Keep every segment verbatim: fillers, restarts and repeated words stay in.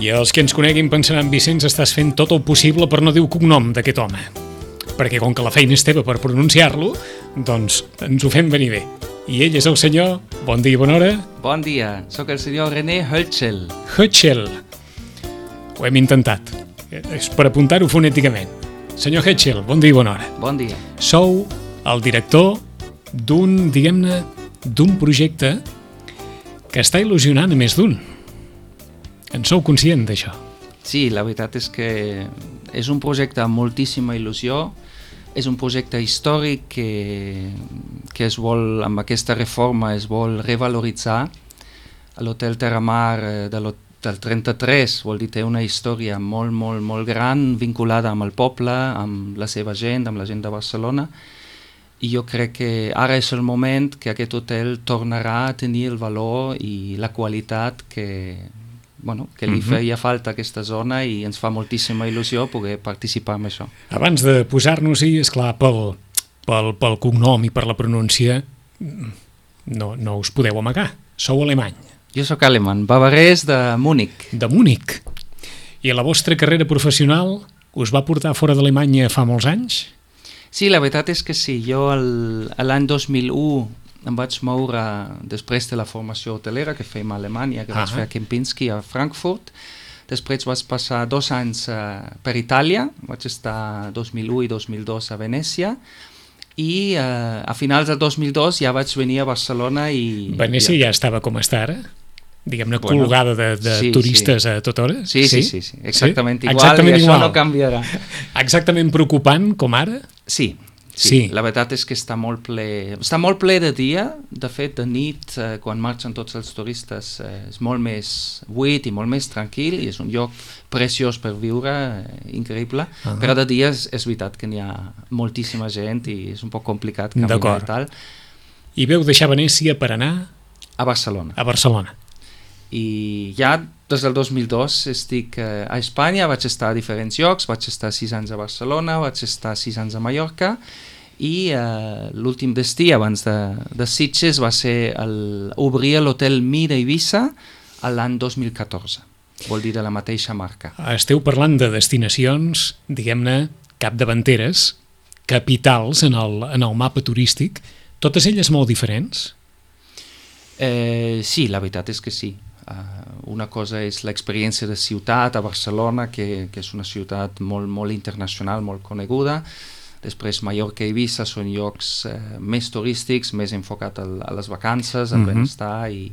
I els que ens coneguin pensaran, Vicenç, estàs fent tot el possible per no dir el cognom d'aquest home. Perquè com que la feina és teva per pronunciar-lo, doncs ens ho fem venir bé. I ell és el senyor, bon dia i bona hora. Bon dia, sóc el senyor René Hötschel. Hötschel. Ho hem intentat. És per apuntar-ho fonèticament. Senyor Hötschel, bon dia i bona hora. Bon dia. Sou el director d'un, diguem-ne, d'un projecte que està il·lusionant a més d'un. En sou conscient d'això? Sí, la veritat és que és un projecte amb moltíssima il·lusió. És un projecte històric que, que es vol, amb aquesta reforma es vol revaloritzar. L'Hotel Terramar de del trenta-tres, vol dir, té una història molt, molt, molt gran, vinculada amb el poble, amb la seva gent, amb la gent de Barcelona. I jo crec que ara és el moment que aquest hotel tornarà a tenir el valor i la qualitat que, bueno, que li feia falta a aquesta zona, i ens fa moltíssima il·lusió poder participar en això. Abans de posar-nos-hi, esclar, pel, pel, pel cognom i per la pronúncia, no, no us podeu amagar. Sou alemany. Jo sóc alemany, bavarès de Múnich. De Múnich. I la vostra carrera professional us va portar fora d'Alemanya fa molts anys? Sí, la veritat és que sí. Jo l'any dos mil u em vaig moure després de la formació hotelera que fèiem a Alemanya, que ah. vaig fer a Kempinski a Frankfurt. Després vaig passar dos anys uh, per Itàlia, vaig estar dos mil u i dos mil dos a Venècia, i uh, a finals del dos mil dos ja vaig venir a Barcelona i... Venècia ja, ja estava com està ara? Diguem-ne, bueno, colgada de, de sí, turistes sí. a tota hora? Sí, sí, sí, sí, exactament sí? igual, exactament i això igual. no canviarà. Exactament preocupant com ara? Sí, sí, sí, la veritat és que està molt ple, està molt ple de dia, de fet de nit, eh, quan marxen tots els turistes, eh, és molt més buit i molt més tranquil, i és un lloc preciós per viure, eh, increïble, uh-huh. però de dia és, és veritat que n'hi ha moltíssima gent i és un poc complicat caminar i tal. I veu deixar Venècia per anar? A Barcelona. A Barcelona. I ja des del dos mil dos estic eh, a Espanya, vaig estar a diferents llocs, vaig estar sis anys a Barcelona, vaig estar sis anys a Mallorca, i eh, l'últim destí abans de, de Sitges va ser el, obrir l'hotel Mira Eivissa l'any dos mil catorze, vol dir de la mateixa marca. Esteu parlant de destinacions, diguem-ne, capdavanteres, capitals en el, en el mapa turístic, totes elles molt diferents? Eh, sí, la veritat és que sí. Uh, una cosa és l'experiència de ciutat a Barcelona, que, que és una ciutat molt, molt internacional, molt coneguda. Després Mallorca i Eivissa són llocs uh, més turístics, més enfocat a, a les vacances, al mm-hmm. benestar, i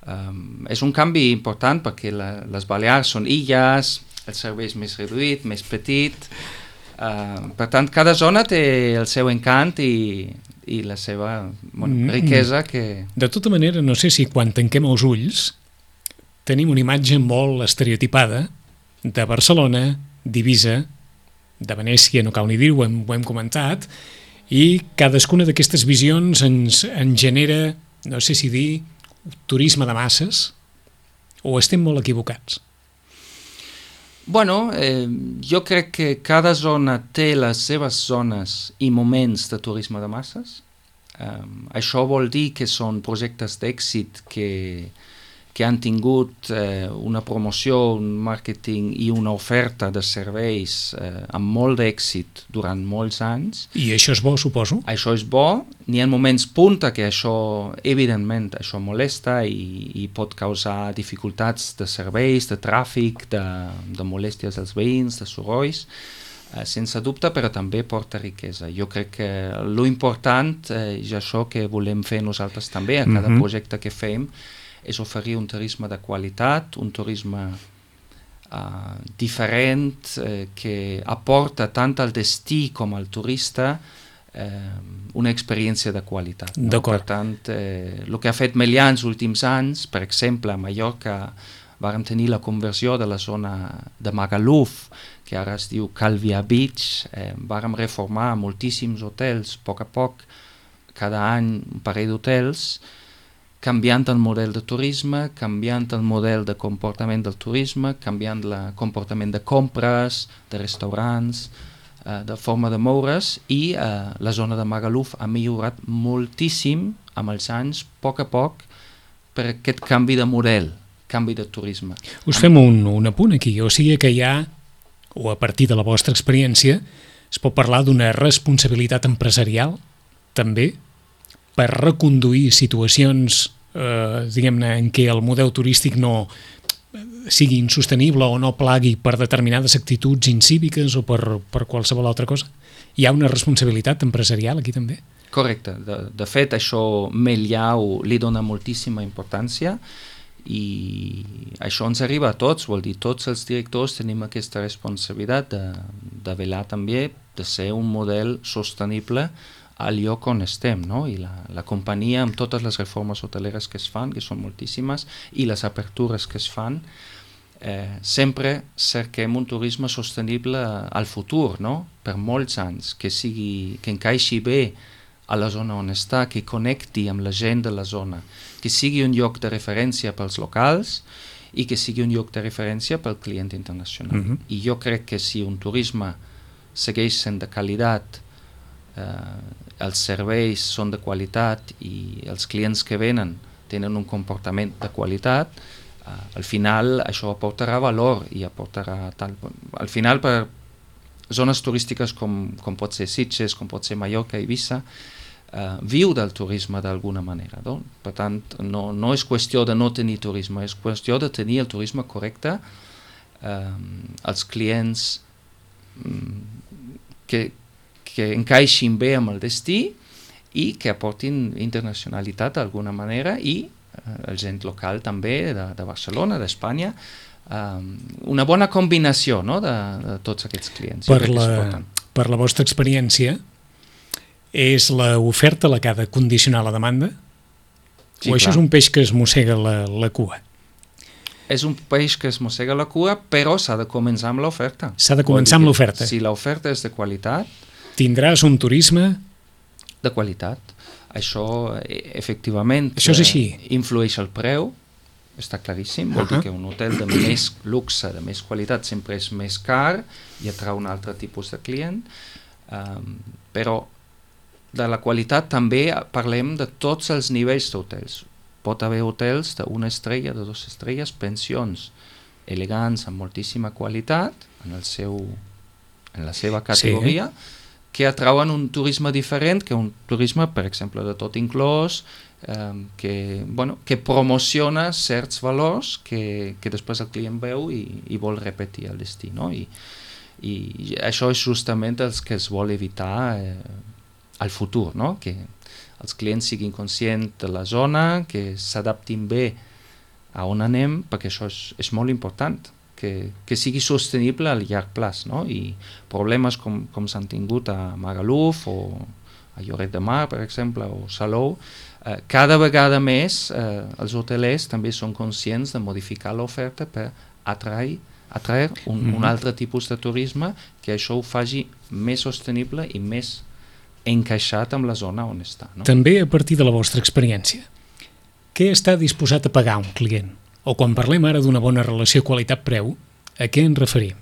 um, és un canvi important perquè la, les Balears són illes, el servei és més reduït, més petit, uh, per tant cada zona té el seu encant i i la seva bueno, riquesa que... De tota manera, no sé si quan tanquem els ulls tenim una imatge molt estereotipada de Barcelona, d'Eivissa, de Venècia, no cal ni dir-ho, ho, hem, ho hem comentat, i cadascuna d'aquestes visions ens, ens genera, no sé si dir, turisme de masses, o estem molt equivocats? Bueno, eh, jo crec que cada zona té les seves zones i moments de turisme de masses. Um, això vol dir que són projectes d'èxit que, que han tingut eh, una promoció, un màrqueting i una oferta de serveis eh, amb molt d'èxit durant molts anys. I això és bo, suposo? Això és bo. N'hi ha moments punta que això, evidentment, això molesta i, i pot causar dificultats de serveis, de tràfic, de, de molèsties als veïns, de sorolls, eh, sense dubte, però també porta riquesa. Jo crec que lo important, eh, és això que volem fer nosaltres també, a cada mm-hmm. projecte que fem, és oferir un turisme de qualitat, un turisme uh, diferent, eh, que aporta tant al destí com al turista eh, una experiència de qualitat. No? Per tant, eh, el que ha fet Melià en els últims anys, per exemple, a Mallorca vàrem tenir la conversió de la zona de Magaluf, que ara es diu Calvia Beach, eh, vàrem reformar moltíssims hotels, a poc a poc, cada any un parell d'hotels, canviant el model de turisme, canviant el model de comportament del turisme, canviant el comportament de compres, de restaurants, eh, de forma de moure's, i eh, la zona de Magaluf ha millorat moltíssim amb els anys, a poc a poc, per aquest canvi de model. canvi de turisme. Us fem un, un apunt aquí, o sigui que hi ha, o a partir de la vostra experiència, es pot parlar d'una responsabilitat empresarial, també, per reconduir situacions, eh, diguem-ne, en què el model turístic no sigui insostenible o no plagui per determinades actituds incíviques o per, per qualsevol altra cosa. Hi ha una responsabilitat empresarial aquí també? Correcte. De, de fet, això Melliau li dona moltíssima importància i això ens arriba a tots, vol dir, tots els directors tenim aquesta responsabilitat de, de velar també de ser un model sostenible al lloc on estem, no? I la, la companyia, amb totes les reformes hoteleres que es fan, que són moltíssimes, i les apertures que es fan, eh, sempre cerquem un turisme sostenible al futur, no? Per molts anys, que sigui, que encaixi bé a la zona on està, que connecti amb la gent de la zona, que sigui un lloc de referència pels locals i que sigui un lloc de referència pel client internacional. Mm-hmm. I jo crec que si un turisme segueix sent de qualitat, eh, els serveis són de qualitat i els clients que venen tenen un comportament de qualitat, eh, al final això aportarà valor i aportarà tal... Al final, per zones turístiques com, com pot ser Sitges, com pot ser Mallorca, Eivissa, eh, viu del turisme d'alguna manera. No? Per tant, no, no és qüestió de no tenir turisme, és qüestió de tenir el turisme correcte, eh, els clients mm, que que encaixin bé amb el destí i que aportin internacionalitat d'alguna manera i eh, el gent local també de, de Barcelona, d'Espanya, eh, una bona combinació, no? de, de tots aquests clients. Per la, per la vostra experiència, és l'oferta la que ha de condicionar la demanda? Sí, o això clar. és un peix que es mossega la, la cua? És un peix que es mossega la cua, però s'ha de començar amb l'oferta. S'ha de començar amb l'oferta. Si l'oferta és de qualitat, tindràs un turisme de qualitat. Això, efectivament, això és així. Eh, influeix el preu, està claríssim. Vol uh-huh. dir que un hotel de més luxe, de més qualitat, sempre és més car i atrau un altre tipus de client. Um, però de la qualitat també parlem de tots els nivells d'hotels. Pot haver hotels d'una estrella, de dues estrelles, pensions elegants, amb moltíssima qualitat, en, el seu, en la seva categoria, sí. que atrauen un turisme diferent, que un turisme, per exemple, de tot inclòs, eh, que, bueno, que promociona certs valors que, que després el client veu i, i vol repetir el destí. No? I, I això és justament el que es vol evitar eh, al futur, no? Que els clients siguin conscients de la zona, que s'adaptin bé a on anem, perquè això és, és molt important. Que, que sigui sostenible a llarg plaç, no? I problemes com, com s'han tingut a Magaluf o a Lloret de Mar, per exemple, o Salou, eh, cada vegada més eh, els hotelers també són conscients de modificar l'oferta per atrair, atrair un, mm-hmm. un altre tipus de turisme que això ho faci més sostenible i més encaixat amb la zona on està. No? També a partir de la vostra experiència, què està disposat a pagar un client? O quan parlem ara d'una bona relació qualitat-preu, a què ens referim?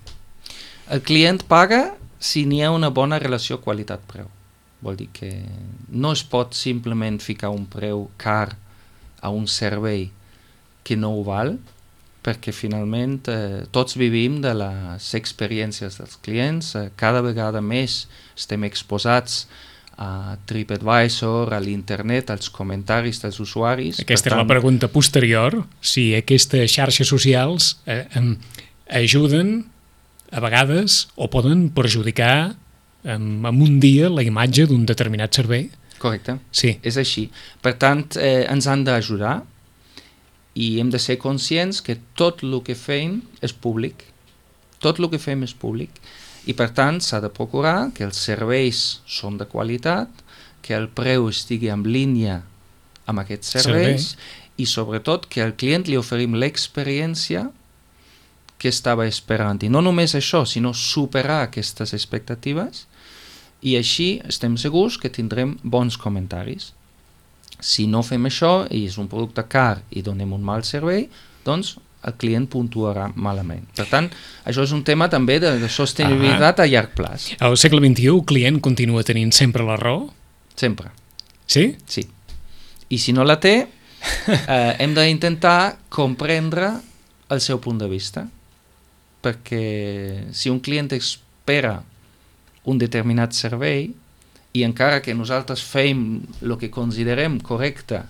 El client paga si n'hi ha una bona relació qualitat-preu. Vol dir que no es pot simplement ficar un preu car a un servei que no ho val, perquè finalment eh, tots vivim de les experiències dels clients, eh, cada vegada més estem exposats a TripAdvisor, a l'internet, als comentaris dels usuaris. Aquesta és la pregunta posterior, si aquestes xarxes socials eh, eh, ajuden a vegades o poden perjudicar eh, en un dia la imatge d'un determinat servei. Correcte, sí. És així. Per tant, eh, ens han d'ajudar i hem de ser conscients que tot el que fem és públic. Tot el que fem és públic. I per tant s'ha de procurar que els serveis són de qualitat, que el preu estigui en línia amb aquests serveis Servei. I sobretot que al client li oferim l'experiència que estava esperant. I no només això, sinó superar aquestes expectatives i així estem segurs que tindrem bons comentaris. Si no fem això i és un producte car i donem un mal servei, doncs el client puntuarà malament. Per tant, això és un tema també de, de sostenibilitat ah. a llarg plaç. Al segle vint-i-u el client continua tenint sempre la raó? Sempre. Sí? Sí. I si no la té, eh, hem d'intentar comprendre el seu punt de vista, perquè si un client espera un determinat servei i encara que nosaltres fem el que considerem correcte,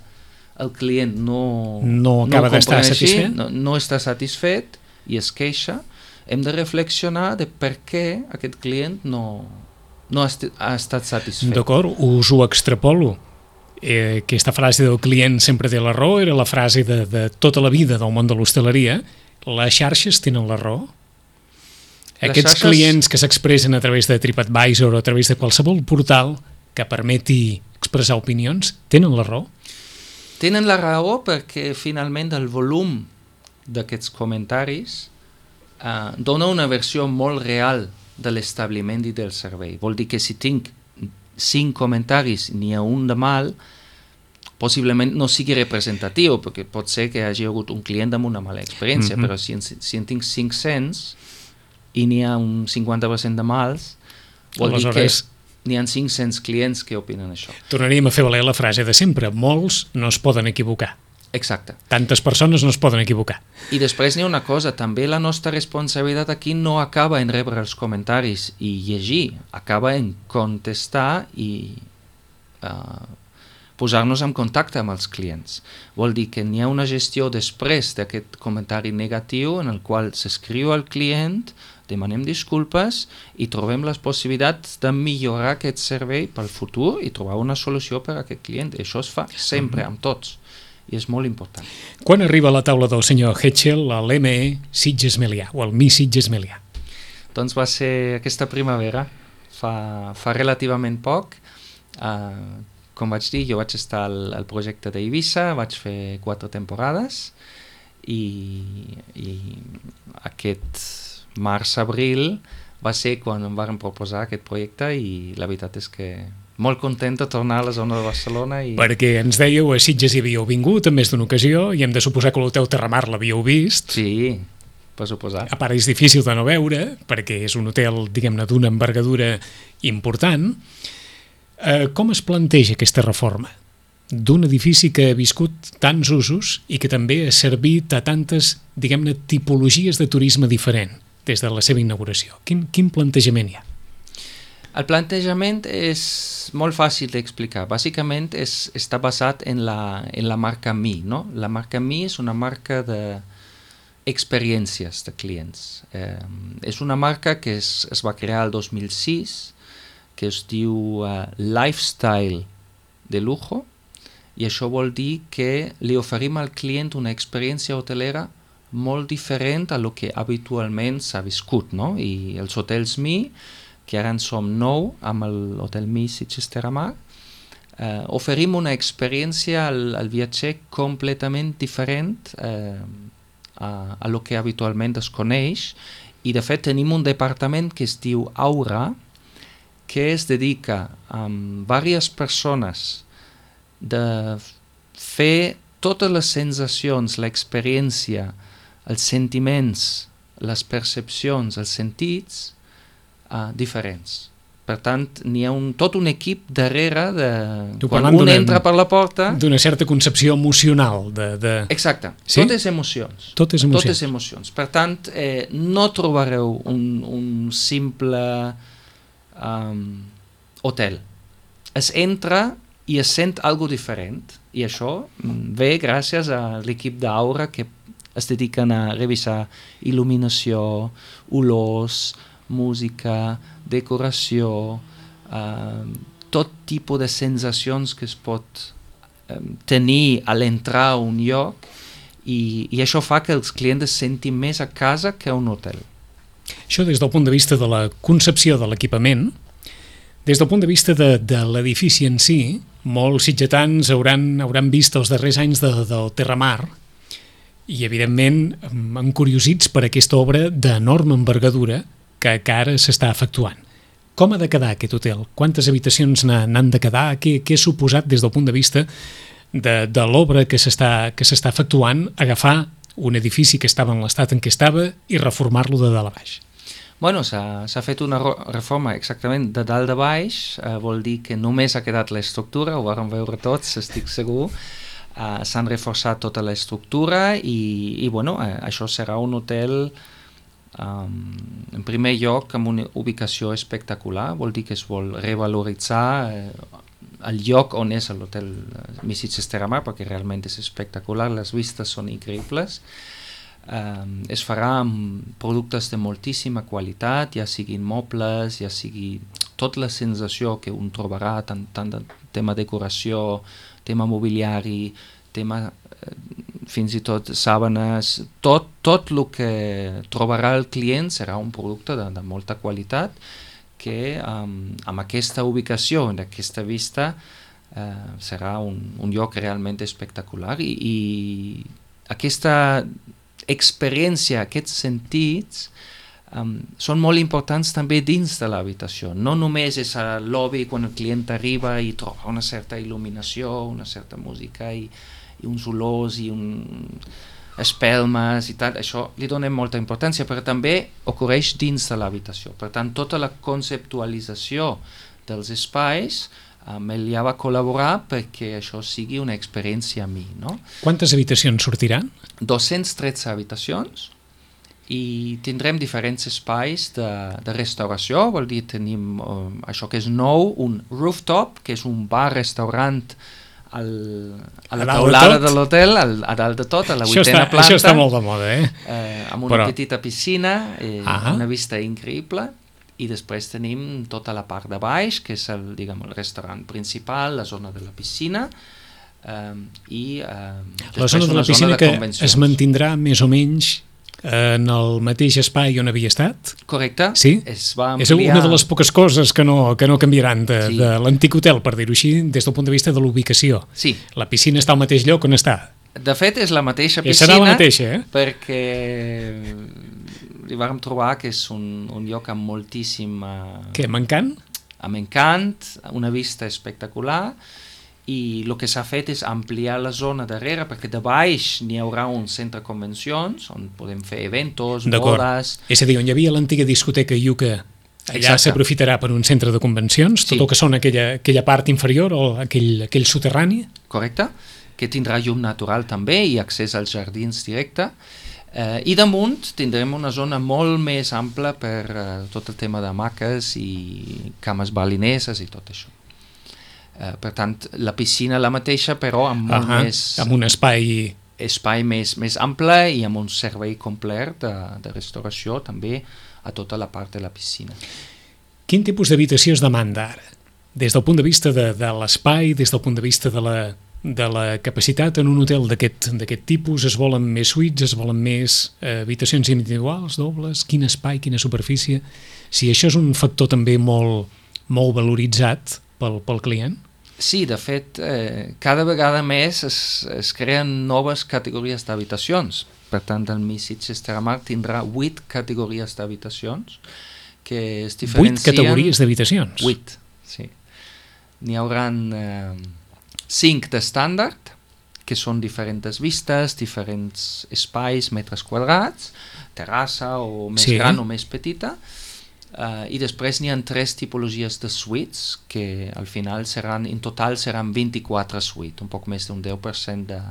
el client no, no acaba no d'estar així, satisfet, no, no està satisfet i es queixa, hem de reflexionar de per què aquest client no, no ha, est ha estat satisfet. D'acord, us ho extrapolo. Eh, aquesta frase del client sempre té la raó era la frase de, de tota la vida del món de l'hostaleria. Les xarxes tenen la raó? Aquests xarxes... clients que s'expressen a través de TripAdvisor o a través de qualsevol portal que permeti expressar opinions, tenen la raó? Tenen la raó perquè finalment el volum d'aquests comentaris eh, dona una versió molt real de l'establiment i del servei. Vol dir que si tinc cinc comentaris n'hi ha un de mal, possiblement no sigui representatiu, perquè pot ser que hi hagi hagut un client amb una mala experiència, mm-hmm. però si en, si en tinc cinc-cents i n'hi ha un cinquanta per cent de mals, vol Aleshores... dir que n'hi ha cinc-cents clients que opinen això. Tornaríem a fer valer la frase de sempre. Molts no es poden equivocar. Exacte. Tantes persones no es poden equivocar. I després n'hi ha una cosa, també la nostra responsabilitat aquí no acaba en rebre els comentaris i llegir, acaba en contestar i uh, posar-nos en contacte amb els clients. Vol dir que n'hi ha una gestió després d'aquest comentari negatiu en el qual s'escriu al client, demanem disculpes i trobem les possibilitats de millorar aquest servei pel futur i trobar una solució per a aquest client. I això es fa sempre amb tots i és molt important. Quan arriba a la taula del senyor Hetchel l'M E Sitges Melià o el Mi Sitges Melià? Doncs va ser aquesta primavera, fa, fa relativament poc. Uh, com vaig dir, jo vaig estar al, al projecte d'Eivissa, vaig fer quatre temporades i, i aquest març-abril va ser quan em van proposar aquest projecte i la veritat és que molt content de tornar a la zona de Barcelona. I... Perquè ens dèieu, a Sitges hi havíeu vingut en més d'una ocasió i hem de suposar que l'Hotel Terramar l'havíeu vist. Sí, per suposar. A part és difícil de no veure perquè és un hotel, diguem-ne, d'una envergadura important. Eh, com es planteja aquesta reforma d'un edifici que ha viscut tants usos i que també ha servit a tantes, diguem-ne, tipologies de turisme diferent des de la seva inauguració? Quin, quin plantejament hi ha? El plantejament és molt fàcil d'explicar. Bàsicament és, està basat en la, en la marca Mi, no? La marca Mi és una marca d'experiències de clients. Eh, és una marca que es, es va crear el dos mil sis, que es diu uh, Lifestyle de Lujo, i això vol dir que li oferim al client una experiència hotelera molt diferent a lo que habitualment s'ha viscut, no? I els hotels Mi, que ara en som nou amb l'Hotel Mi Sitges Terramar, eh, oferim una experiència al, al viatger completament diferent eh, a, a lo que habitualment es coneix, i de fet tenim un departament que es diu Aura, que es dedica amb diverses persones de fer totes les sensacions, l'experiència, els sentiments, les percepcions, els sentits uh, diferents. Per tant, n'hi ha un, tot un equip darrere de... Tu quan un entra per la porta... D'una certa concepció emocional. De, de... Exacte. Sí? Tot és emocions. Tot és emocions. Tot és emocions. Per tant, eh, no trobareu un, un simple um, hotel. Es entra i es sent algo diferent. I això ve gràcies a l'equip d'Aura que es dediquen a revisar il·luminació, olors, música, decoració, eh, tot tipus de sensacions que es pot eh, tenir a l'entrar a un lloc i, i això fa que els clients es sentin més a casa que a un hotel. Això des del punt de vista de la concepció de l'equipament. Des del punt de vista de, de l'edifici en si, molts sitgetans hauran, hauran vist els darrers anys de, del Terramar i, evidentment, encuriosits per aquesta obra d'enorme envergadura que, que ara s'està efectuant. Com ha de quedar aquest hotel? Quantes habitacions n'han de quedar? Què, què ha suposat des del punt de vista de, de l'obra que s'està que s'està efectuant, agafar un edifici que estava en l'estat en què estava i reformar-lo de dalt a baix? Bueno, s'ha fet una reforma exactament de dalt a baix, eh, vol dir que només ha quedat l'estructura, ho vam veure tots, estic segur. Uh, s'han reforçat tota l'estructura i, i bueno, uh, això serà un hotel um, en primer lloc amb una ubicació espectacular, vol dir que es vol revaloritzar uh, el lloc on és l'hotel Missitges Terramar, perquè realment és espectacular, les vistes són increïbles. Um, es farà amb productes de moltíssima qualitat, ja siguin mobles, ja sigui tota la sensació que un trobarà, tant, tant de tema decoració, tema mobiliari, tema eh, fins i tot sàbanes, tot, tot el que trobarà el client serà un producte de, de molta qualitat que um, amb aquesta ubicació, en aquesta vista, uh, serà un, un lloc realment espectacular i, i aquesta experiència, aquests sentits um, són molt importants també dins de l'habitació. No només és al lobby quan el client arriba i troba una certa il·luminació, una certa música i, i uns olors i un espelmes i tal, això li donem molta importància, però també ocorreix dins de l'habitació. Per tant, tota la conceptualització dels espais amb ell ja va col·laborar perquè això sigui una experiència a mi, no? Quantes habitacions sortiran? dos-cents tretze habitacions i tindrem diferents espais de, de restauració, vol dir tenim uh, això que és nou, un rooftop, que és un bar-restaurant al, a la a taulada de l'hotel, a dalt de tot, a la vuitena està, planta. Això està molt de moda, eh? eh amb una Però... petita piscina, eh, ah. una vista increïble, i després tenim tota la part de baix, que és el, diguem, el restaurant principal, la zona de la piscina, eh, i eh, la zona de la piscina de que convencions. Es mantindrà més o menys en el mateix espai on havia estat? Correcte. Sí? Es va ampliar... És una de les poques coses que no, que no canviaran de, sí. de l'antic hotel, per dir-ho així, des del punt de vista de l'ubicació. Sí. La piscina està al mateix lloc on està. De fet, és la mateixa I piscina, serà la mateixa, eh? perquè li vam trobar que és un, un lloc amb moltíssim... Què, m'encant? Amb encant, una vista espectacular, i el que s'ha fet és ampliar la zona darrere, perquè de baix n'hi haurà un centre de convencions, on podem fer eventos, bodes... És a dir, on hi havia l'antiga discoteca Iuca, allà s'aprofitarà per un centre de convencions, sí. Tot el que són aquella, aquella part inferior o aquell, aquell soterrani? Correcte, que tindrà llum natural també i accés als jardins directe. Eh, I damunt tindrem una zona molt més ampla per eh, tot el tema de hamaques i cames balineses i tot això. Uh, per tant, la piscina la mateixa, però amb molt uh-huh. més... amb un espai... espai més, més ample i amb un servei complet de, de restauració també a tota la part de la piscina. Quin tipus d'habitació es demanda ara? Des del punt de vista de, de l'espai, des del punt de vista de la, de la capacitat en un hotel d'aquest d'aquest tipus, es volen més suites, es volen més eh, habitacions individuals, dobles, quin espai, quina superfície? Si això és un factor també molt, molt valoritzat pel, pel client? Sí, de fet, eh, cada vegada més es, es creen noves categories d'habitacions. Per tant, el Missitges Terramar tindrà vuit categories d'habitacions que es diferencien... Vuit categories d'habitacions? Vuit, sí. N'hi haurà eh, cinc d'estàndard, que són diferents vistes, diferents espais, metres quadrats, terrassa o més sí. gran o més petita, Uh, i després n'hi ha tres tipologies de suites que al final seran, en total seran vint-i-quatre suites, un poc més d'un deu per cent de,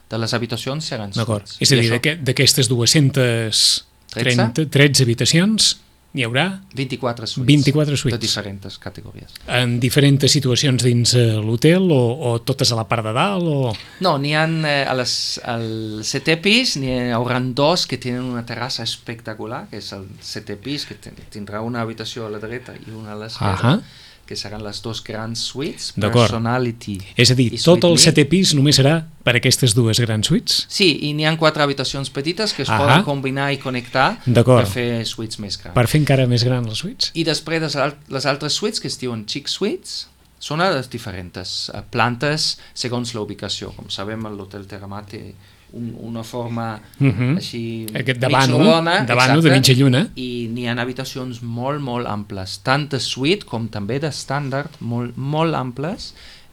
de les habitacions seran suites. És a dir, això... d'aquestes dues-centes tretze habitacions n'hi haurà vint-i-quatre suites, vint-i-quatre suites de diferents categories. En diferents situacions dins l'hotel o, o totes a la part de dalt? O... No, n'hi ha eh, a les, al setè pis, n'hi haurà dos que tenen una terrassa espectacular, que és el setè pis, que tindrà una habitació a la dreta i una a l'esquerra. Uh-huh. Que seran les dos grans suites, Personality. És a dir, tot el setè pis només serà per aquestes dues grans suites? Sí, i n'hi ha quatre habitacions petites que es Ahà. poden combinar i connectar per fer suites més grans. Per fer encara més grans les suites? I després les altres suites, que es diuen Chic Suites, són a les diferents plantes segons la ubicació. Com sabem, l'Hotel Terramar té un, una forma uh-huh. així de vano, de vano, de mitja lluna, i n'hi ha habitacions molt, molt amples, tant de suite com també d'estàndard, molt, molt amples,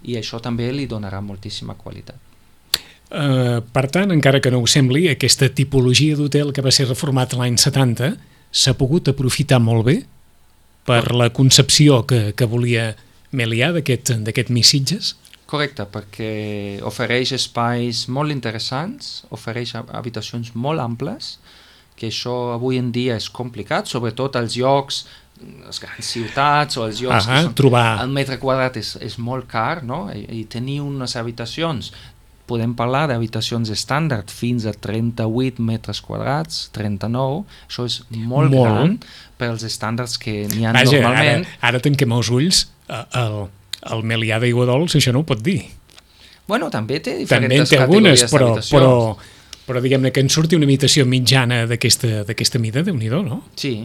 i això també li donarà moltíssima qualitat. Uh, per tant, encara que no ho sembli, aquesta tipologia d'hotel que va ser reformat l'any setanta s'ha pogut aprofitar molt bé per la concepció que, que volia Melià d'aquest Missitges? Correcte, perquè ofereix espais molt interessants, ofereix habitacions molt amples, que això avui en dia és complicat, sobretot als llocs, les grans ciutats o els llocs ah, que són, trobar... el metre quadrat és, és molt car, no? I, i tenir unes habitacions, podem parlar d'habitacions estàndard fins a trenta-vuit metres quadrats, trenta-nou, això és molt, molt. gran per als estàndards que n'hi ha Vaja, normalment. Ara, ara tanquem els ulls, el, el Melià d'Aigua Dols, això no ho pot dir. Bueno, també té diferents també té categories algunes, però, d'habitacions. Però, però diguem-ne que en surti una habitació mitjana d'aquesta mida, Déu-n'hi-do, no? Sí,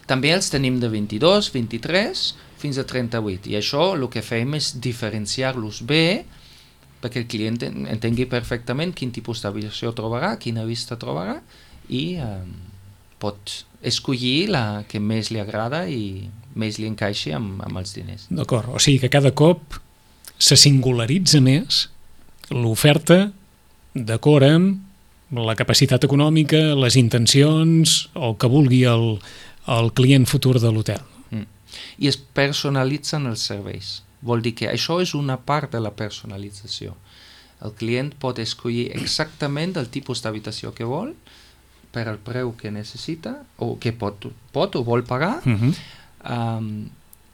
també els tenim de vint-i-dos, vint-i-tres fins a trenta-vuit, i això el que fem és diferenciar-los bé perquè el client entengui perfectament quin tipus d'habitació trobarà, quina vista trobarà, i eh, pot escollir la que més li agrada i més li encaixi amb, amb els diners. D'acord, o sigui que cada cop se singularitza més l'oferta d'acord amb la capacitat econòmica, les intencions, el que vulgui el, el client futur de l'hotel. Mm. I es personalitzen els serveis. Vol dir que això és una part de la personalització. El client pot escollir exactament el tipus d'habitació que vol, per al preu que necessita, o que pot, pot o vol pagar, uh-huh. um,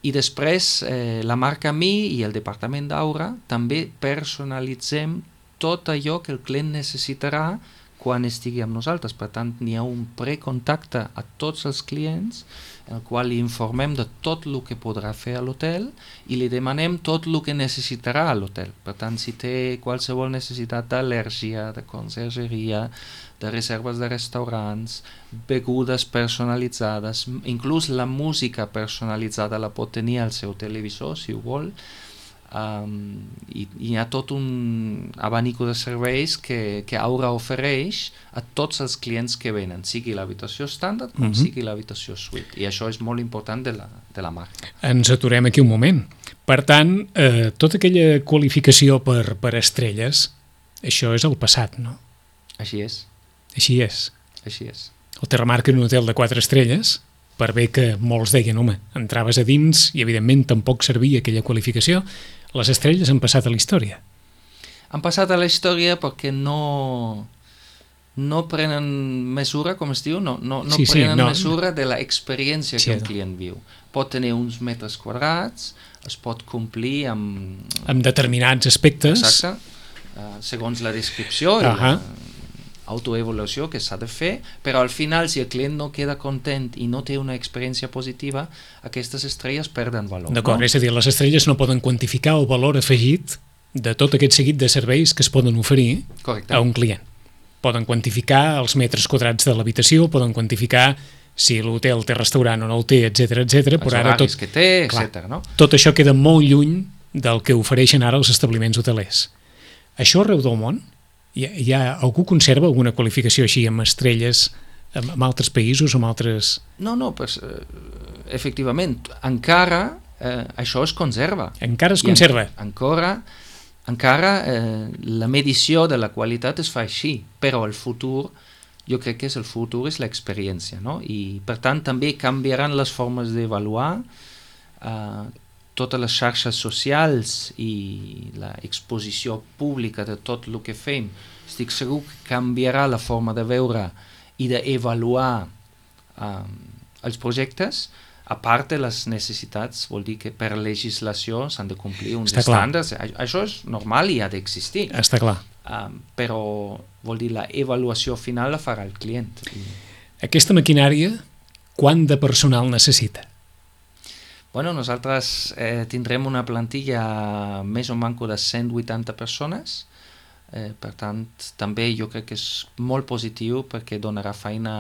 i després eh, la marca Mi i el departament d'Aura també personalitzem tot allò que el client necessitarà quan estigui amb nosaltres. Per tant, n'hi ha un precontacte a tots els clients en el qual li informem de tot el que podrà fer a l'hotel i li demanem tot el que necessitarà a l'hotel. Per tant, si té qualsevol necessitat d'al·lèrgia, de consergeria, de reserves de restaurants, begudes personalitzades, inclús la música personalitzada la pot tenir al seu televisor, si ho vol. Um, i, i hi ha tot un abanico de serveis que, que Aura ofereix a tots els clients que venen, sigui l'habitació estàndard com uh-huh. sigui l'habitació suite, i això és molt important de la, de la marca. Ens aturem aquí un moment. Per tant, eh, tota aquella qualificació per, per estrelles, això és el passat, no? Així és. Així és. Així és. El Terramarca en un hotel de quatre estrelles, per bé que molts deien, home, entraves a dins i evidentment tampoc servia aquella qualificació, les estrelles han passat a la història. Han passat a la història perquè no, no prenen mesura, com es diu, no, no, no sí, sí, prenen no. mesura de l'experiència sí, que un client viu. Pot tenir uns metres quadrats, es pot complir amb... amb determinats aspectes. Exacte, uh, segons la descripció i uh-huh. la autoevaluació que s'ha de fer, però al final, si el client no queda content i no té una experiència positiva, aquestes estrelles perden valor. D'acord, no? És a dir, les estrelles no poden quantificar el valor afegit de tot aquest seguit de serveis que es poden oferir Correcte. A un client. Poden quantificar els metres quadrats de l'habitació, poden quantificar si l'hotel té restaurant o no el té, etcètera, etcètera. Els horaris que té, etcètera. No? Tot això queda molt lluny del que ofereixen ara els establiments hotelers. Això arreu del món? Hi ha, hi ha, algú conserva alguna qualificació així amb estrelles amb, amb altres països o amb altres... No, no, pues, eh, efectivament, encara eh, això es conserva. Encara es conserva? En, encara encara eh, la medició de la qualitat es fa així, però el futur, jo crec que és el futur és l'experiència, no? I per tant també canviaran les formes d'avaluar eh, totes les xarxes socials i l'exposició pública de tot el que fem. Estic segur que canviarà la forma de veure i d'avaluar um, els projectes, a part de les necessitats, vol dir que per legislació s'han de complir uns Està estàndards. Clar. Això és normal i ha d'existir. Està clar. Um, però vol dir la avaluació final la farà el client. I... Aquesta maquinària, quant de personal necessita? Bueno, nosaltres eh, tindrem una plantilla més o manco de cent vuitanta persones, eh, per tant, també jo crec que és molt positiu perquè donarà feina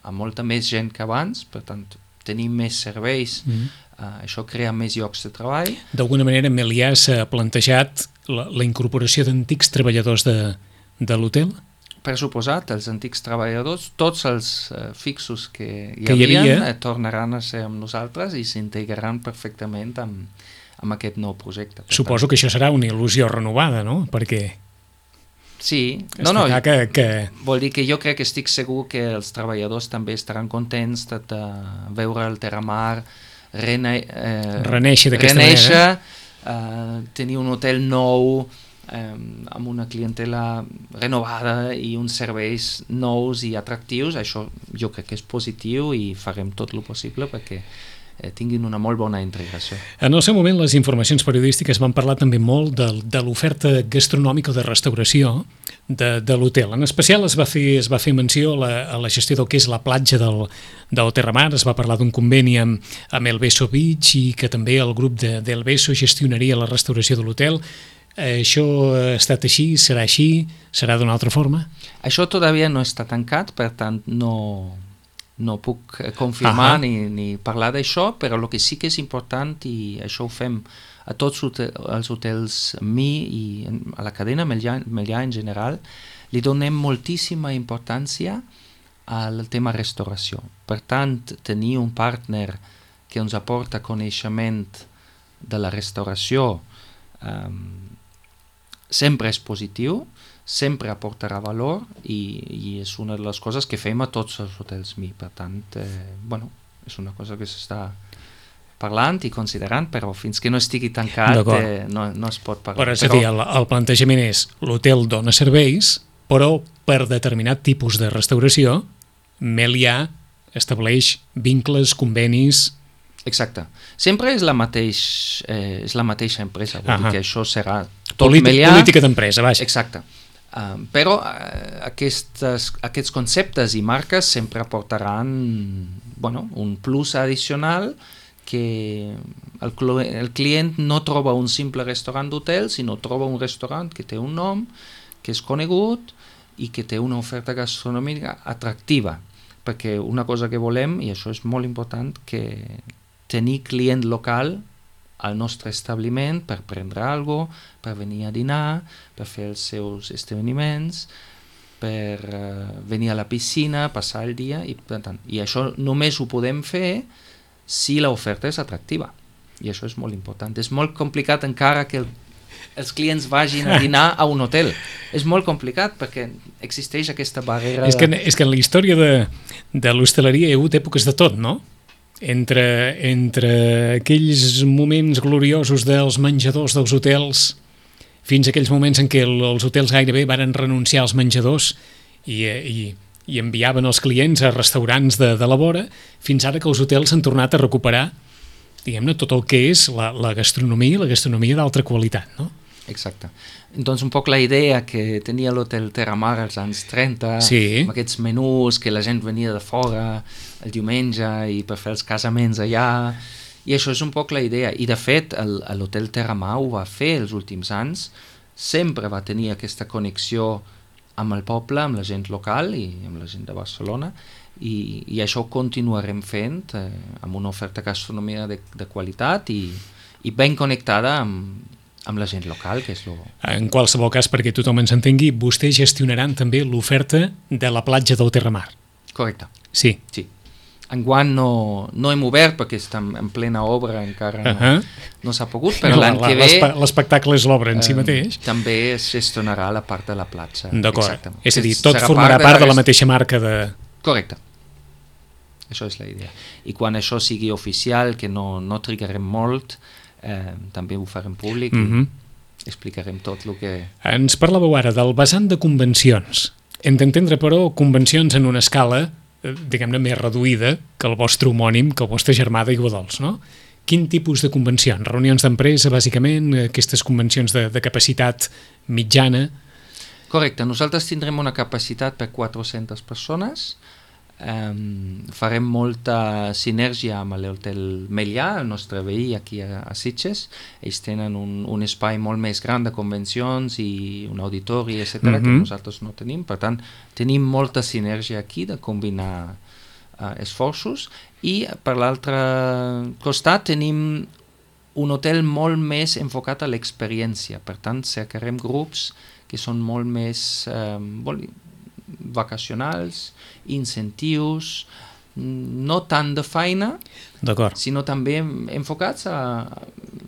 a molta més gent que abans, per tant, tenim més serveis, mm. eh, això crea més llocs de treball. D'alguna manera, Melià s'ha plantejat la, la incorporació d'antics treballadors de, de l'hotel? Per suposat, els antics treballadors, tots els uh, fixos que hi, que hi havia, havia eh, tornaran a ser amb nosaltres i s'integraran perfectament amb, amb aquest nou projecte. Suposo tant. Que això serà una il·lusió renovada, no? Perquè... Sí, no, no, que, que... vol dir que jo crec que estic segur que els treballadors també estaran contents de, de veure el Terramar rene, eh, reneixer d'aquesta reneixer, manera. uh, tenir un hotel nou, um, amb una clientela renovada i uns serveis nous i atractius, això jo crec que és positiu i farem tot el possible perquè eh, tinguin una molt bona integració. En el seu moment, les informacions periodístiques van parlar també molt de, de l'oferta gastronòmica o de restauració de, de l'hotel. En especial es va fer, es va fer menció a la, a la gestió del que és la platja del, del Terramar, es va parlar d'un conveni amb, amb El Beso Beach i que també el grup de, del Beso gestionaria la restauració de l'hotel. Eh, això ha estat així? Serà així? Serà d'una altra forma? Això todavía no està tancat, per tant no... no puc confirmar ni, ni parlar d'això, però el que sí que és important, i això ho fem a tots els hotels Mi i a la cadena Melià, Melià en general, li donem moltíssima importància al tema restauració. Per tant, tenir un partner que ens aporta coneixement de la restauració um, sempre és positiu, sempre aportarà valor i, i és una de les coses que fem a tots els hotels Mi. Per tant, eh, bueno, és una cosa que s'està parlant i considerant, però fins que no estigui tancat eh, no, no es pot parlar. Però és a dir, el, el plantejament és l'hotel dona serveis, però per determinat tipus de restauració Melià estableix vincles, convenis... Exacte. Sempre és la, mateix, eh, és la mateixa empresa, vol dir que això serà tot Polític, Melià. Política d'empresa, vaja. Exacte. Uh, però uh, aquestes, aquests conceptes i marques sempre aportaran bueno, un plus addicional que el, el client no troba un simple restaurant d'hotel, sinó troba un restaurant que té un nom, que és conegut i que té una oferta gastronòmica atractiva, perquè una cosa que volem, i això és molt important, que tenir client local al nostre establiment per prendre alguna cosa, per venir a dinar, per fer els seus esdeveniments, per uh, venir a la piscina, passar el dia, i, per tant, i això només ho podem fer si l'oferta és atractiva. I això és molt important. És molt complicat encara que el, els clients vagin a dinar a un hotel. És molt complicat perquè existeix aquesta barrera... És que, és que en la història de, de l'hostaleria hi ha hagut èpoques de tot, no? Entre, entre aquells moments gloriosos dels menjadors dels hotels fins a aquells moments en què el, els hotels gairebé varen renunciar als menjadors i, i, i enviaven els clients a restaurants de, de la vora, fins ara que els hotels s'han tornat a recuperar, diguem-ne, tot el que és la, la gastronomia i la gastronomia d'altra qualitat, no? Exacte. Doncs un poc la idea que tenia l'hotel Terramar als anys trenta, sí. amb aquests menús que la gent venia de fora el diumenge i per fer els casaments allà, i això és un poc la idea. I de fet l'hotel Terramar ho va fer els últims anys, sempre va tenir aquesta connexió amb el poble, amb la gent local i amb la gent de Barcelona, i, i això ho continuarem fent eh, amb una oferta gastronomia de, de qualitat i, i ben connectada amb amb la gent local, que és lo... En qualsevol cas, perquè tothom ens entengui, vostès gestionaran també l'oferta de la platja del Terramar. Correcte. Sí. Sí. Enguany no, no hem obert perquè estem en plena obra, encara no, uh-huh. no s'ha pogut, però no, l'any que ve... L'espectacle és l'obra en eh, si mateix. També es gestionarà la part de la platja. D'acord. És a dir, tot formarà part, part de la mateixa marca de... Correcte. Això és la idea. I quan això sigui oficial, que no, no trigarem molt, Eh, també ho farem públic i mm-hmm. explicarem tot el que... Ens parlàveu ara del vessant de convencions. Hem d'entendre, però, convencions en una escala, eh, diguem-ne, més reduïda que el vostre homònim, que el vostre germà d'Aiguadols, no? Quin tipus de convencions? Reunions d'empresa, bàsicament, aquestes convencions de, de capacitat mitjana? Correcte. Nosaltres tindrem una capacitat per quatre-centes persones. Um, farem molta sinergia amb l'hotel Melià, el nostre veí aquí a, a Sitges. Ells tenen un, un espai molt més gran de convencions i un auditori, etcètera, mm-hmm. que nosaltres no tenim. Per tant, tenim molta sinergia aquí de combinar uh, esforços, i per l'altre costat tenim un hotel molt més enfocat a l'experiència. Per tant, cercarem grups que són molt més um, vol, vacacionals, incentius, no tant de feina, sinó també enfocats a,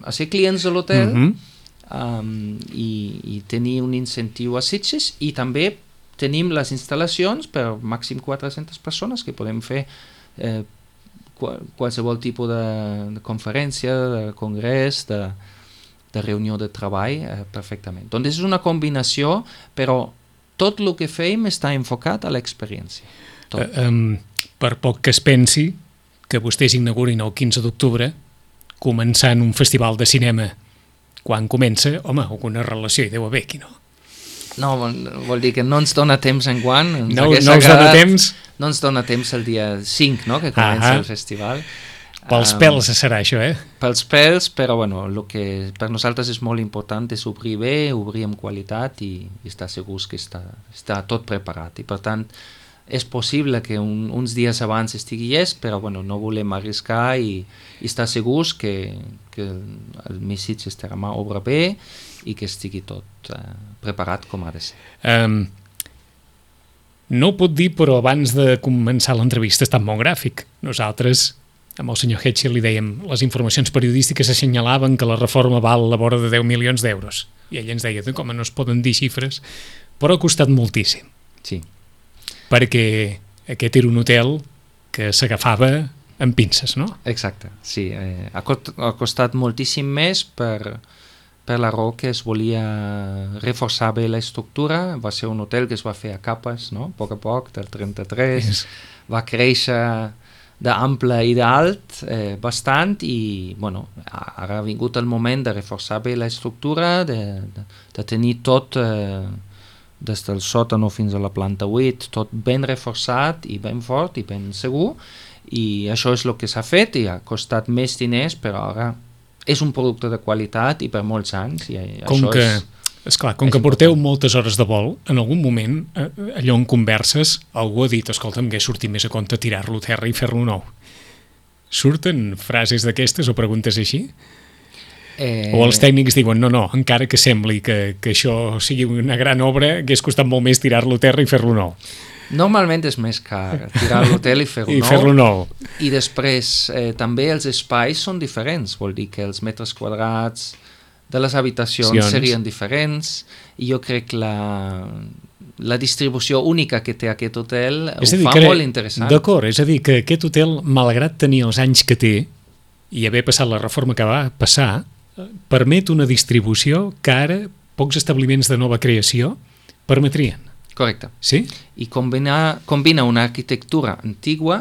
a ser clients de l'hotel, mm-hmm. um, i, i tenir un incentiu a Sitges, i també tenim les instal·lacions per màxim quatre-centes persones que podem fer eh, qual, qualsevol tipus de, de conferència, de congrés, de, de reunió de treball eh, perfectament. Doncs és una combinació, però tot el que fem està enfocat a l'experiència. Uh, um, per poc que es pensi que vostès inaugurin el quinze d'octubre, començant un festival de cinema quan comença, home, alguna relació hi deu haver aquí, no? No, vol, vol dir que no ens dona temps en guant. Ens no, hagués no ens agradat, dona temps? No ens dona temps el dia cinc, no?, que comença ah, el festival. Pels um, pèls serà això, eh? Pels pèls, però bueno, el que per nosaltres és molt important és obrir bé, obrir amb qualitat i, i estar segurs que està, està tot preparat. I per tant, és possible que un, uns dies abans estigui llest, però bueno, no volem arriscar i, i estar segurs que, que el, el missatge estarà obra bé i que estigui tot uh, preparat com ha de ser. Um, no ho pot dir, però abans de començar l'entrevista ha estat molt gràfic. Nosaltres, amb el senyor Hetchel, li dèiem, les informacions periodístiques assenyalaven que la reforma val a la vora de deu milions d'euros. I ell ens deia, com no es poden dir xifres, però ha costat moltíssim. Sí. Perquè aquest era un hotel que s'agafava amb pinces, no? Exacte, sí. Eh, ha, cost, ha costat moltíssim més per, per la raó que es volia reforçar bé l'estructura. Va ser un hotel que es va fer a capes, no?, a poc a poc, del trenta-tres, yes. Va créixer d'ample i d'alt eh, bastant i bueno, ara ha vingut el moment de reforçar bé l'estructura, de, de, de tenir tot eh, des del sòtano fins a la planta vuit, tot ben reforçat i ben fort i ben segur, i això és el que s'ha fet i ha costat més diners, però ara és un producte de qualitat i per molts anys i com això que, és... Esclar, com que porteu moltes hores de vol, en algun moment, allò en converses, algú ha dit, escolta'm, que sortit més a compte tirar-lo a terra i fer-lo nou. Surten frases d'aquestes o preguntes així? Eh... O els tècnics diuen, no, no, encara que sembli que, que això sigui una gran obra, hagués costat molt més tirar-lo a terra i fer-lo nou. Normalment és més car tirar l'hotel i fer-lo I nou. fer-lo nou. I després eh, també els espais són diferents, vol dir que els metres quadrats de les habitacions Sions. serien diferents i jo crec que la, la distribució única que té aquest hotel ho fa que, molt interessant. D'acord, és a dir, que aquest hotel, malgrat tenir els anys que té i haver passat la reforma que va passar, permet una distribució que ara pocs establiments de nova creació permetrien. Correcte. Sí? I combina, combina una arquitectura antigua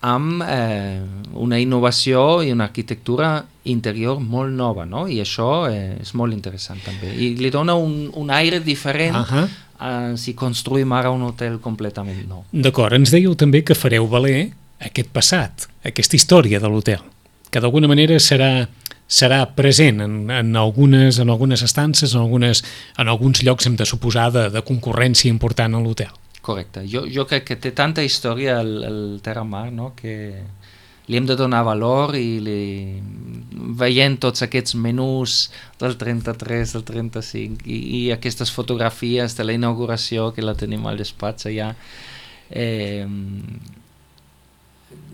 amb eh, una innovació i una arquitectura interior molt nova, no? I això eh, és molt interessant també. I li dona un, un aire diferent uh-huh. eh, si construïm ara un hotel completament nou. D'acord, ens dèieu també que fareu valer aquest passat, aquesta història de l'hotel, que d'alguna manera serà, serà present en, en, algunes, en algunes estances, en, algunes, en alguns llocs hem de suposar de, de concurrència important a l'hotel. Correcte. Jo, jo crec que té tanta història el, el Terra Mar, no?, que li hem de donar valor i li, veient tots aquests menús del trenta-tres, del trenta-cinc i, i aquestes fotografies de la inauguració que la tenim al despatx allà, eh,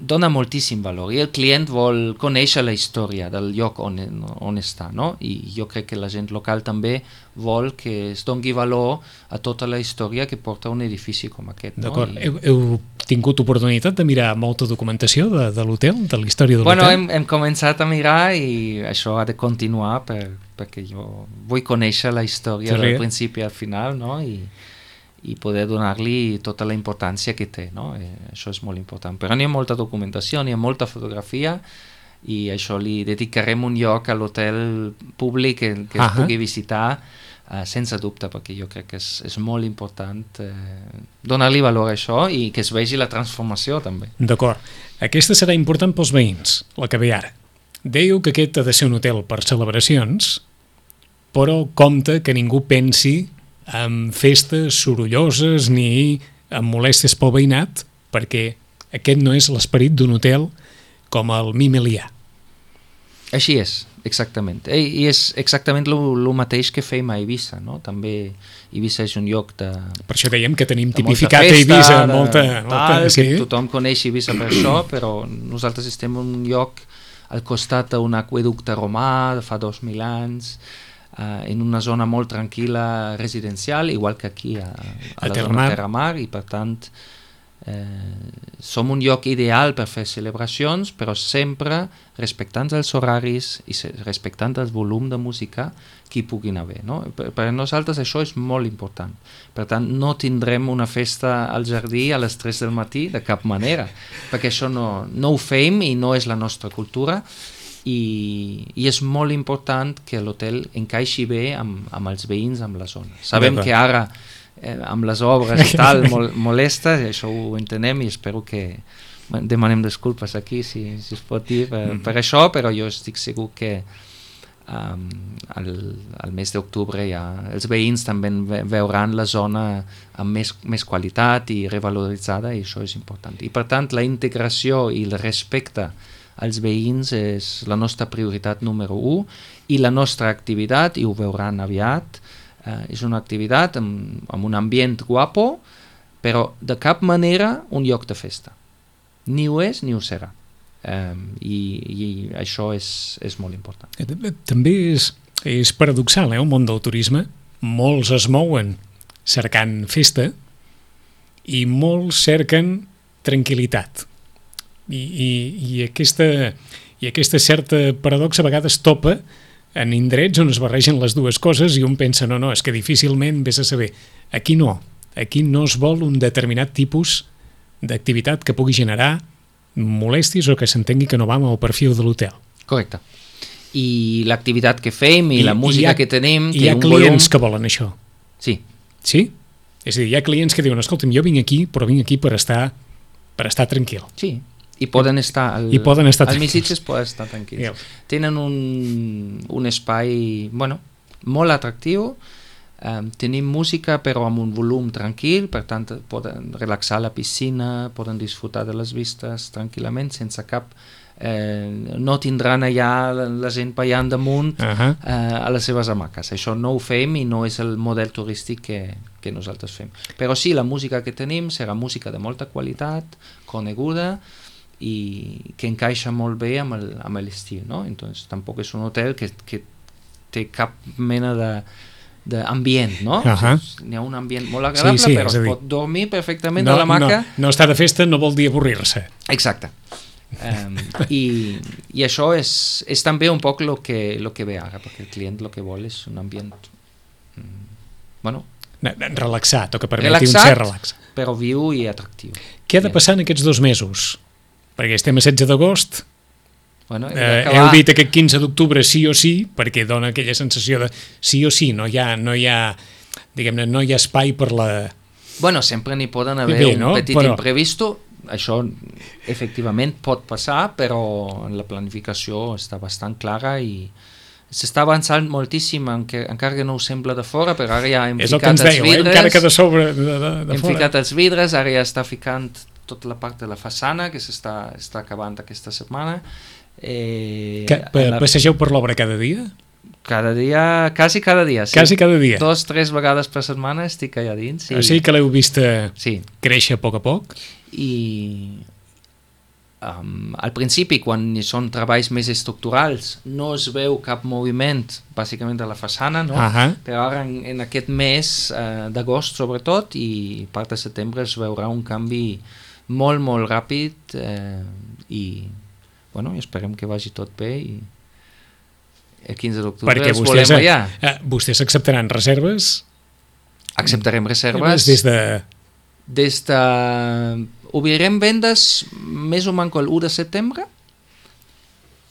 dona moltíssim valor i el client vol conèixer la història del lloc on, on està, no? I jo crec que la gent local també vol que es doni valor a tota la història que porta un edifici com aquest. D'acord. No? I... Heu, heu tingut oportunitat de mirar molta documentació de, de l'hotel, de la història de l'hotel? Bueno, hem, hem començat a mirar i això ha de continuar per, perquè jo vull conèixer la història del principi al final, no? I i poder donar-li tota la importància que té, no? Eh, això és molt important. Però n'hi ha molta documentació, n'hi ha molta fotografia i això li dedicarem un lloc a l'hotel públic que, que es pugui visitar eh, sense dubte, perquè jo crec que és, és molt important eh, donar-li valor a això i que es vegi la transformació també. D'acord. Aquesta serà important pels veïns, la que ve ara. Dèieu que aquest ha de ser un hotel per celebracions, però compte que ningú pensi amb festes sorolloses ni amb molèsties pel veïnat, perquè aquest no és l'esperit d'un hotel com el Mimelià. Així és, exactament. I és exactament el mateix que fem a Eivissa, no? També Eivissa és un lloc de... Per això dèiem que tenim tipificat a Eivissa molta... molta sí. Tothom coneix Eivissa per això, però nosaltres estem en un lloc al costat d'un aqüeducte romà de fa dos mil anys, Uh, en una zona molt tranquil·la residencial, igual que aquí a, a, a la Terra zona Terra Mar, i per tant Eh, som un lloc ideal per fer celebracions, però sempre respectant els horaris i respectant el volum de música que hi puguin haver. No? Per, per nosaltres això és molt important. Per tant, no tindrem una festa al jardí a les tres del matí de cap manera, perquè això no, no ho fem i no és la nostra cultura, i, i és molt important que l'hotel encaixi bé amb, amb els veïns, amb la zona. Sabem que ara eh, amb les obres i tal mol, molesta, i això ho entenem i espero que bueno, demanem disculpes aquí si, si es pot dir per, per això, però jo estic segur que um, al, al mes d'octubre ja els veïns també veuran la zona amb més, més qualitat i revaloritzada, i això és important. I per tant la integració i el respecte als veïns és la nostra prioritat número u, i la nostra activitat, i ho veuran aviat, eh, és una activitat amb, amb un ambient guapo, però de cap manera un lloc de festa. Ni ho és ni ho serà. Eh, i, i això és, és molt important. També és, és paradoxal, eh, el món del turisme. Molts es mouen cercant festa i molts cerquen tranquil·litat. I, i, i, aquesta, i aquesta certa paradoxa a vegades topa en indrets on es barregen les dues coses i un pensa, no, no, és que difícilment vés a saber. Aquí no, aquí no es vol un determinat tipus d'activitat que pugui generar molèsties o que s'entengui que no va amb el perfil de l'hotel. Correcte. I l'activitat que fem i, I la música ha, que tenim hi ha un clients volum... que volen això. Sí. Sí? És a dir, hi ha clients que diuen, escolta'm, jo vinc aquí, però vinc aquí per estar, per estar tranquil. Sí. I poden estar al, I poden estar al Missitges poden estar tranquils. Yeah. Tenen un, un espai bueno, molt atractiu, um, tenim música però amb un volum tranquil, per tant poden relaxar a la piscina, poden disfrutar de les vistes tranquil·lament, sense cap... Eh, no tindran allà la gent ballant damunt uh-huh. eh, a les seves hamaques. Això no ho fem i no és el model turístic que, que nosaltres fem. Però sí, la música que tenim serà música de molta qualitat, coneguda, i que encaixa molt bé amb el, amb l'estil, no? Entonces, tampoc és un hotel que, que té cap mena de d'ambient, no? Uh-huh. N'hi ha un ambient molt agradable, sí, sí, però es dir... pot dormir perfectament no, a l'hamaca. No, no estar de festa no vol dir avorrir-se. Exacte. Um, i, i això és, és també un poc el que, lo que ve ara, perquè el client el que vol és un ambient mm, bueno, relaxat, o que permeti relaxat, un cert relax. Però viu i atractiu. Què ha de passar en aquests dos mesos? Perquè estem a setze d'agost, bueno, eh, heu dit aquest quinze d'octubre sí o sí, perquè dona aquella sensació de sí o sí, no hi ha, no hi ha, diguem-ne, no hi ha espai per la... Bueno, sempre n'hi poden haver bé, un no? petit però... imprevisto, això efectivament pot passar, però la planificació està bastant clara i s'està avançant moltíssim, encara que no ho sembla de fora, però ara ja hem és ficat els dèieu, vidres, eh? Encara que de sobre de, de, de hem fora. ficat els vidres, ara ja està ficant tota la part de la façana que s'està està acabant aquesta setmana. Eh, que, pa, la... Passegeu per l'obra cada dia? Cada dia, quasi cada dia, sí. Quasi cada dia. Dos, tres vegades per setmana estic allà dins. I... O sigui que l'heu vist sí. créixer a poc a poc? I um, al principi, quan són treballs més estructurals, no es veu cap moviment, bàsicament a la façana, no? Uh-huh. Però ara en, en aquest mes uh, d'agost sobretot i part de setembre es veurà un canvi molt, molt ràpid eh, i bueno, esperem que vagi tot bé i el quinze d'octubre els volem allà. Eh, vostès acceptaran reserves? Acceptarem reserves. Des de... Des de... Obrirem vendes més o menys l'u de setembre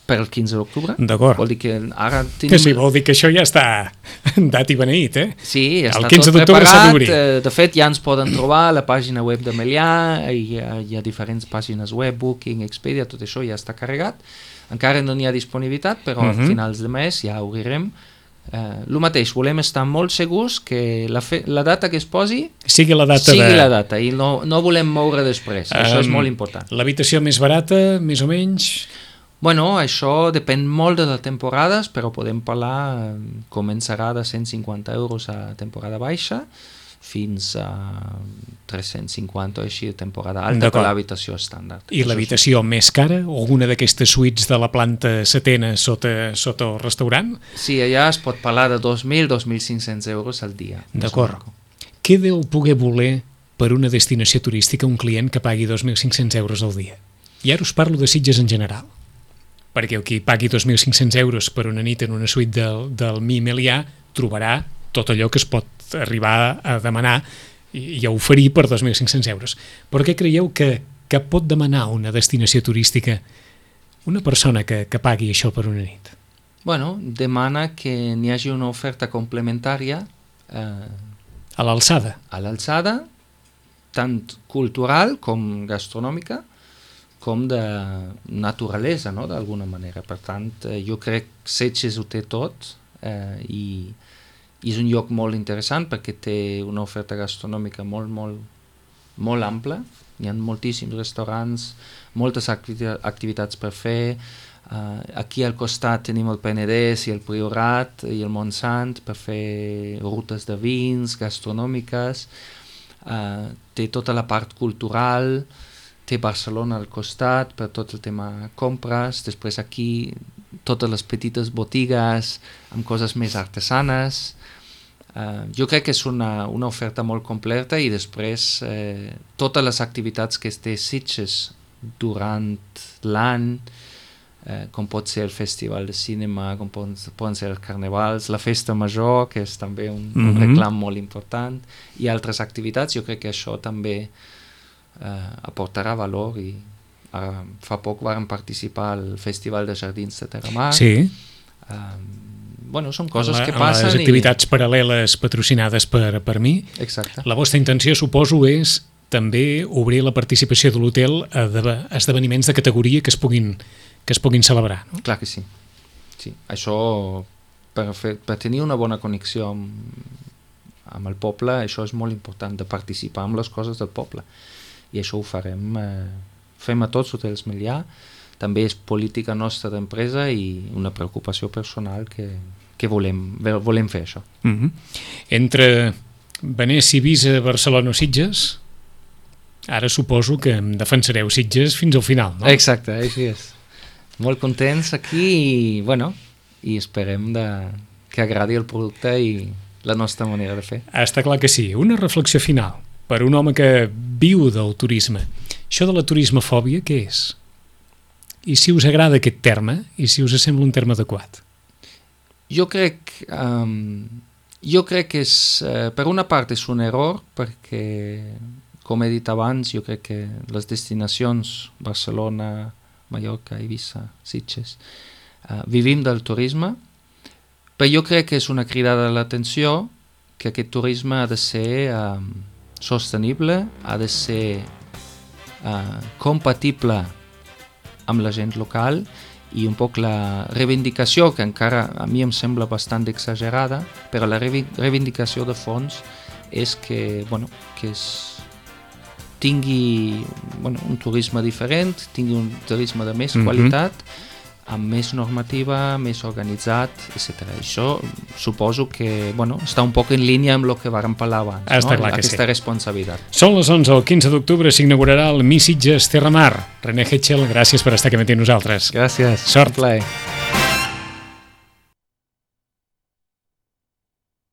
per el quinze d'octubre. D'acord. Vol dir que ara tenim... Sí, vol dir que això ja està dat i beneït, eh? Sí, ja el està quinze tot preparat. Eh, de fet, ja ens poden trobar a la pàgina web de Melià, hi ha, hi ha diferents pàgines web, Booking, Expedia, tot això ja està carregat. Encara no n'hi ha disponibilitat, però uh-huh. a finals de mes ja obrirem. Uh, el mateix, volem estar molt segurs que la, fe, la data que es posi sigui la data, sigui de... la data i no, no volem moure després, um, això és molt important. L'habitació més barata, més o menys? Bueno, això depèn molt de les temporades, però podem parlar, començarà de cent cinquanta euros a temporada baixa fins a tres-cents cinquanta o així de temporada alta per l'habitació estàndard. I l'habitació és... més cara? Alguna d'aquestes suites de la planta setena sota, sota el restaurant? Sí, allà es pot parlar de dos mil a dos mil cinc-cents euros al dia. D'acord. Què deu poder voler per una destinació turística un client que pagui dos mil cinc-cents euros al dia? I ara us parlo de Sitges en general, perquè el qui pagui dos mil cinc-cents euros per una nit en una suite del, del Mi Melià trobarà tot allò que es pot arribar a demanar i, i a oferir per dos mil cinc-cents euros. Per què creieu que, que pot demanar una destinació turística una persona que, que pagui això per una nit? Bueno, demana que n'hi hagi una oferta complementària eh, a l'alçada. A l'alçada, tant cultural com gastronòmica, com de naturalesa, no?, d'alguna manera. Per tant, eh, jo crec que Sitges ho té tot eh, i, i és un lloc molt interessant perquè té una oferta gastronòmica molt, molt, molt ampla. Hi ha moltíssims restaurants, moltes activitats per fer. Uh, aquí al costat tenim el Penedès i el Priorat i el Montsant per fer rutes de vins gastronòmiques. Uh, té tota la part cultural, té Barcelona al costat per tot el tema compres, després aquí totes les petites botigues amb coses més artesanes. Uh, jo crec que és una, una oferta molt completa i després eh, totes les activitats que té Sitges durant l'any, eh, com pot ser el festival de cinema, com poden, poden ser els carnavals, la festa major, que és també un, mm-hmm. un reclam molt important, i altres activitats. Jo crec que això també eh, aportarà valor i ara, fa poc vam participar al Festival de Jardins de Terramar. Sí. Um, bueno, són coses la, que passen. Les activitats i... paral·leles patrocinades per, per mi. Exacte. La vostra intenció, suposo, és també obrir la participació de l'hotel a esdeveniments de categoria que es puguin, que es puguin celebrar. No? Clar que sí. sí. Això, per, fer, per tenir una bona connexió amb, amb el poble, això és molt important, de participar en les coses del poble. I això ho farem, eh, fem a tots hotels Melià. També és política nostra d'empresa i una preocupació personal que, que volem, volem fer això. Mm-hmm. Entre Venècia, Ibiza, Barcelona o Sitges, ara suposo que em defensareu Sitges fins al final, no? Exacte, així és. Molt contents aquí i, bueno, i esperem de, que agradi el producte i la nostra manera de fer. Està clar que sí. Una reflexió final per un home que viu del turisme. Això de la turismofòbia, què és? I si us agrada aquest terme, i si us sembla un terme adequat? Jo crec, um, jo crec que és, uh, per una part és un error, perquè, com he dit abans, jo crec que les destinacions, Barcelona, Mallorca, Eivissa, Sitges, uh, vivim del turisme, però jo crec que és una cridada a l'atenció que aquest turisme ha de ser um, sostenible, ha de ser uh, compatible amb la gent local i un poc la reivindicació, que encara a mi em sembla bastant exagerada, però la reivindicació de fons és que, bueno, que es tingui bueno, un turisme diferent, tingui un turisme de més mm-hmm. qualitat, amb més normativa, més organitzat, etcètera. Això suposo que bueno, està un poc en línia amb el que vàrem parlar abans, està no? Clar que aquesta sí. responsabilitat. Són les onze, el quinze d'octubre s'inaugurarà el Mi Sitges Terramar. René Hetchel, gràcies per estar aquí amb nosaltres. Gràcies. Sort. Un plaer.